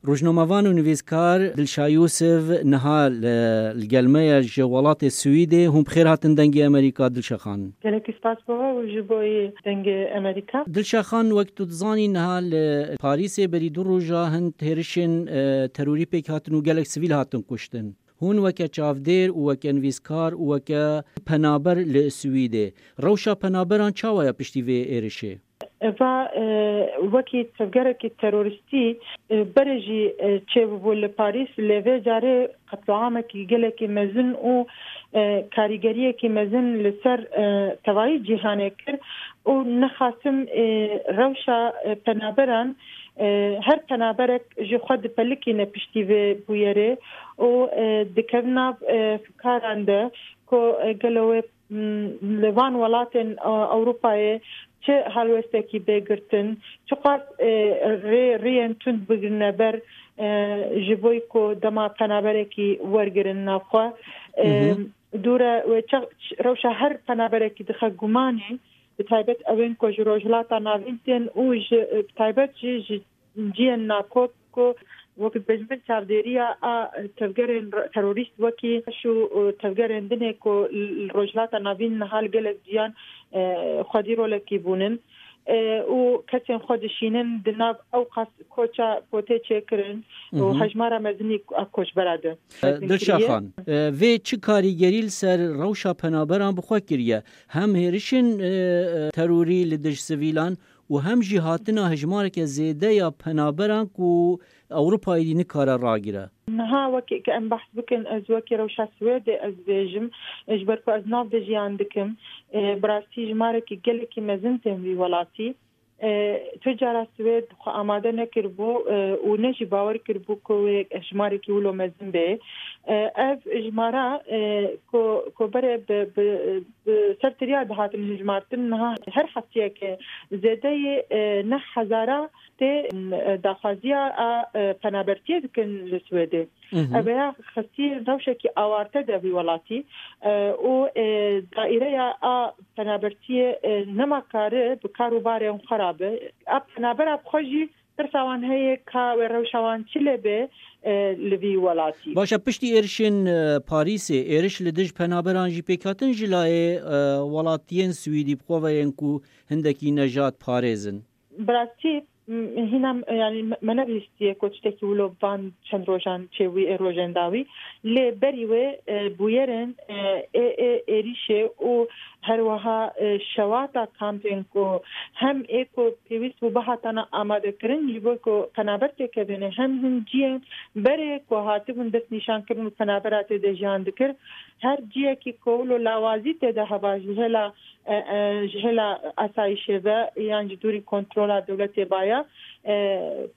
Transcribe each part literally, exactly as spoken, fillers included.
Rojnamevan û nivîskar Dilşa Yûsiv niha li, li gel me ye ji welatê Swîdê. Hûn bi xêr hatin Dengê Amerîka, Dilşa Xan. Gelekî spas bo we û ji bo Dengê Amerîka. Dilşa Xan, wek tu dizanî, niha li Parîsê berî du roja hin hêrişên, e, terorî pêk hatin û gelek sivîl hatin kuştin. Hûn weke çavdêr û weke nivîskar û weke penaber li Swîdê, rewşa penaberan çawa ye piştî vê êrişê? Eva, e, wekî tevgerekî terorîstî, e, berê jî, e, çêbûbû li Parîs, lê vê carê qetloamekî gelekî mezin û, e, karîgeriyekî mezin li ser, e, tevayî cîhanê kir û nexasim, e, rewşa, e, penaberan, e, her penaberek ji xwe dipelikîne piştî vê bûyerê û, e, dikevin nav, e, fikaran de ku, e, gelo wê, m, li van welatên, e, Ewropayê çi helwestekî bê girtin, çiqas, e, rê, rêyên tund bigirine ber, e, ji bo ku dema penaberekî wergirin nav xwe. E, Hı hı. Dûre wê çax-, rewşa her penaberekî dixe gumanê, bi taybet ewên ku ji Rojhilata Navîn tên û ji, bi taybet jî ji ciyên nakop ku wek dibêjin bin çavdêriya a tevgerên re-, terorîst wekî DAIŞ û, û tevgerên dinê ku li Rojhilata Navîn niha li gelek ciyan, e, xwedî rolekî bûnin, e, û kesên xwe dişînin di nav ew qas koça potê çêkirin û Hı hı. hejmara mezinî a koçbera de. E, Dilşa Xan, e, vê çi karîgerî li ser rewşa penaberan bi xwe kiriye? Hem hêrişên, e, e, terorî li dij sivîlan û hem jî hatina hejmareke zêde ya penaberan ku Ewropayê dî nikare ragire. Niha wekî ke em behs bikin, ez wekî rewşa Swêdê ez bêjim, e, ji ber ku ez nav de jiyan dikim, e, bi rastî jimarekî gelekî mezin tên vî welatî. E, tu cara Swêd xwe amade nekiribû, e, û ne jî bawer kiribû ku wê jimarekî wilo mezin bê. E, ev jimara, e, ku, ku berê bi, bi, bi ser tiriya dihatin hijmartin, niha her heftiyeke zêdeyê, e, neh hezara tê, e, daxwaziya a, e, penabertiyê dikin li Swêdê. Mhm. Ev ya xistî rewşekî awarte de vî welatî, e, û, e, daîreya a penabertiyê, e, nema kare bi kar û barên xwe rabe. A penabera bi xwe jî tirsa wan heye ka wê rewşa wan çi lê be, e, li vî welatî. Baş e, piştî êrişên, e, Parîsê, êriş li dij penaberan jî pêk hatin ji layê, e, welatiyên Swîdî bi xwe ve yên ku hindekî nejad parêz in. Bi rastî, m-, hîna, m-, yanî me, me nebihîstiye ku tiştekî wilo van çend rojan çêbûyî ê rojên dawî. Lê berî wê, e, bûyerên, e, ê, ê êrîşê û her wiha, e, şewata kampên ku hem ê ku pêwîst bû bihatana amadekirin ji bo ku penaber têkevêne, hem hin ciyên berê ku hatibûn destnîşankirin û penabera tê de jiyan dikir. Her ciyekî ku wilo lawazî tê de heba ji hêla e, e, ji hêla asayîşê ve yan ji dûrî kontrola dewletê baya, e,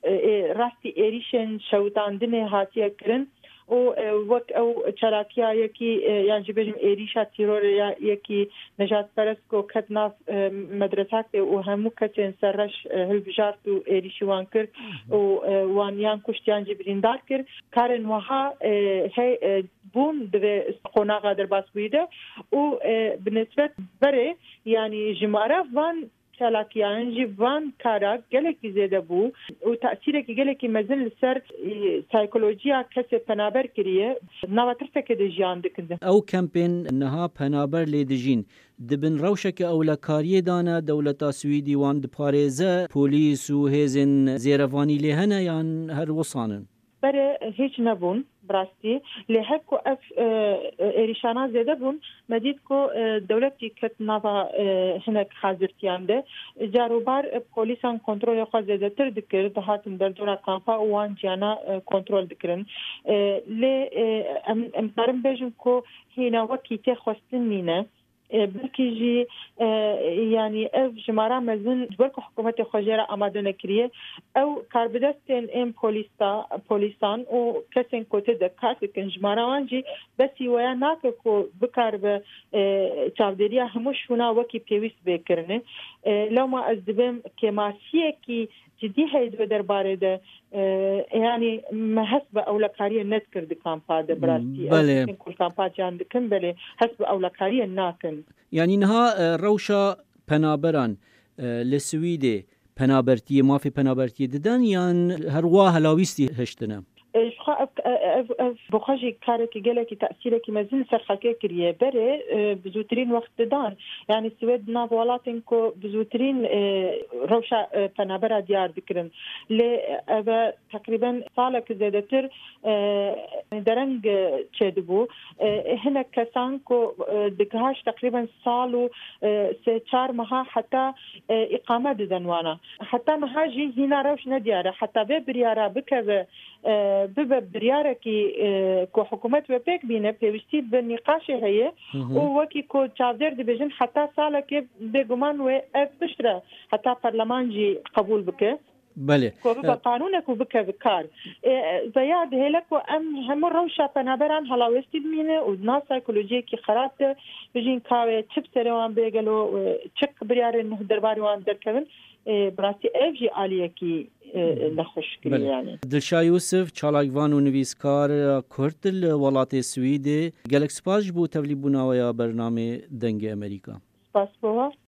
e, ê, rastî êrîşên şewitandinê hatiye kirin û, e, wek ew çalakiya yekî, e, yan jî bêjim êrîşa tîrorê ya yekî nejadperest ku ket nav, e, medresakê û hemû kesên serreş, e, hilbijart û êrîşî wan kir û, e, wan yan kuşt yan jî birîndar kir. Karên wiha, e, hey, e, bûn di vê qonaxa derbasbûyî de û, e, bi nisbet berê, yanî jimara van çalakiyan jî van kara gelekî zêde bû û tesîrekî gelekî mezin li ser, e, psîkolojiya kesê penaber kiriye. Nava tirsekê de jiyan dikin. Ew kempên niha penaber lê dijîn di bin rewşeke ewlekariyê de ne, dewleta Swîdî wan diparêze, polîs û hêzên zêrevanî lê hene yan her wisan in? Berê hîç nebûn, bi rastî. Lê her ku ev, e, êrîşana zêde bûn, me dît ku, e, dewletî ket nava, e, hinek hazirtiyan de. Car û bar, e, polîsan kontrolê xwe zêdetir dikir, dihatin derdora kampa û wan ciyana, e, kontrol dikirin. E, lê, e, em, em karin bêjin ku hîna wekî tê xwestin nîne. E, belkî jî, e, yanî ev jimara mezin ji ber ku hikûmetê xwe jê re amade nekiriye, ew karbidestên ên polîsta-, polîsan û kesên ku tê de kar dikin, jimara wan jî besî weya nake ku bikaribe, e, çavdêriya hemû şûna wekî pêwîst bê kirine. E, lewma ez dibêm kêmasiyekî cidî heye di vê derbarê de, e, yanî me hest bi ewlekariyê nedikir di kampa de, bi rastî. Belê. Ew kesên ku li kampa ciyan dikin, belê hest bi ewlekariyê nakin. Yanî niha, e, rewşa penaberan, e, li Swîdê penabertiyê, mafê penabertiyê didin yan her wa helawîstî hiştine? E, ji xwe ev, ev, ev, ev bi xwe jî karekî gelekî tesîrekî mezin li ser xelkê kiriye. Berê, e, bi zûtirîn wext didan. Yanî Swêd di nav welatên ku bi zûtirîn, e, rewşa, e, penabera diyar dikirin. Lê ev e teqrîben salek zêdetir, e, dereng, e, çêdibû. E, hinek kesan ku, e, digihaş teqrîben sal û, e, sê çar meha heta, e, îqame didin wana. Heta niha jî hîna rewş nediyar e. Heta vê biryara bikeve, e, bibe biryarekî, e, ku hikûmet wê pêk bîne, pêwîstî bi nîqaşê heye Hı hı. û wekî ku çavdêr dibêjin, heta salekê bêguman wê ev piştre heta perleman jî qebûl bike. Belê. Ku bibe E, qanûnek û bikeve kar. E, e, veya dihêle ku em hemû rewşa penaberan helawêstî bimîne û di nav psîkolojiyekî xerab de bijîn, ka wê çi bi serê wan bê gelo, e, çi biryarên nuh derbarê wan derkevin, e, bi rastî ev jî aliyekî, e, nexweşkirî Belê. yani. Dilşa Yûsif, çalakvan û nivîskar Kurd li welatê Swîdê, gelek spas ji bo tevlîbûna we ya bernamê Dengê Amerîka. Spas bo we.